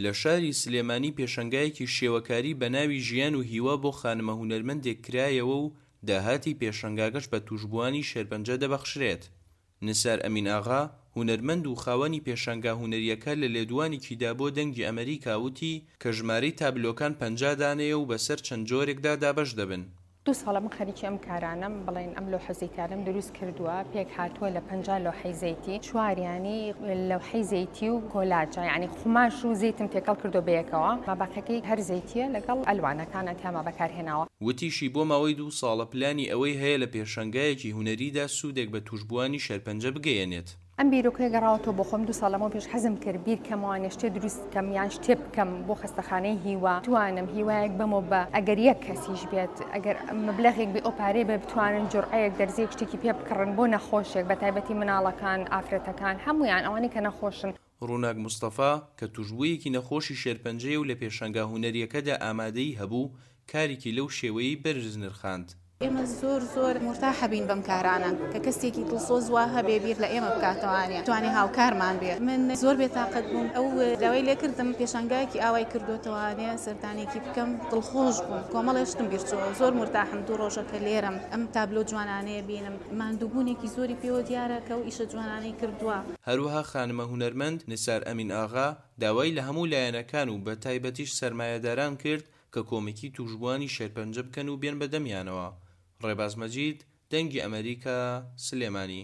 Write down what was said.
لە شاری سلێمانی پێشەنگایەکی شێوەکاری بە ناوی ژیان و هیوا بۆ خانمە هونەرمەندێک کرایەوە و داهاتی پێشەنگاکەش بە تووشبووانی شێرپەنجە دەبەخشرێت. نسار ئەمین ئاغا، هونەرمەند و خاوەنی پێشانگا هونەرییەکە لە لێدوانێکیدا بۆ دەنگی ئەمەریکا وتی کە ژمارەی تابلۆکان 50 دانەیە و بەسەر چەند جۆرێکدا دابەش دەبن. دوو ساڵە من خەریکی ئەم کارانەم، بڵێن ئەم لۆحە زەیتانەم دروست کردووە، پێک هاتووە لە 50 لۆحەی زەیتی، چواریانی لەوحەی زەیتی و کۆلاجە، یعنی قوماش و زەیتم تێکەڵ کردووە بەیەکەوە، ماباقیەکەی هەر زەیتیە لەگەڵ ئەلوانەکانە تیاما بەکارهێناوە. وتیشی بۆ ماوەی دوو ساڵە پلانی ئەوەی هەیە لە پێشەنگایەکی هونەریدا سوودێک بە تووشبووانی شێرپەنجە بگەیەنێت. ئەم بیرۆکەیە گەڕاوەتەوە بۆ خۆم، دوو ساڵ لەمەو پێش حەزم کرد بیر کەمەوە شتێ دروست بکەم یان شتێ بکەم بۆ خەستەخانەی هیوا، بتوانم هیوایەک بەمەوە بە ئەگەر یەک کەسیش بێت، ئەگەر مەبلەغێک بێ ئەو پارەیە بێ بتوانن جورعەیەک دەرزیەک شتێکی پێ بکڕن بۆ نەخۆشێک بە تایبەتی مناڵەکان، ئافرەتەکان، هەموویان ئەوانەی کە نەخۆشن. ڕووناک مستەفا، کە تووشبوویەکی نەخۆشی شێرپەنجەیە و لە پێشانگا هونەرییەکەدا ئامادەیی هەبوو، کارێکی لەو شێوەیەی بەرز نرخاند. ئێمە زۆر زۆر مورتاح ئەبین بەم کارانە کە کەسێکی دڵسۆز وا هەبێ بیر لە ئێمە بکاتەوانێ بتوانێ هاوکارمان بێ من زۆر بێتاقەت بووم ئەو داوای لێکردم پێشانگایەکی ئاوای کردۆتەوانێ سەردانێکی بکەم دڵخۆش بووم کۆمەڵێ شتم بیر چۆوە زۆر مورتاحم دوو ڕۆژە کە لێرەم ئەم تابلۆ جوانانەیە بینم ماندووبوونێکی زۆری پێوە دیارە کە ئەو ئیشە جوانانەی کردووە. هەروەها خانمە هونەرمەند نسار ئەمین ئاغا داوای لە هەموو لایەنەکان و بەتایبەتیش سەرمایەداران کرد کە کۆمەکی تووشبووانی شێرپەنجە بکەن و بێن بە دەمیانەوە. ڕێباز مەجید، دەنگی ئەمەریکا، سلێمانی.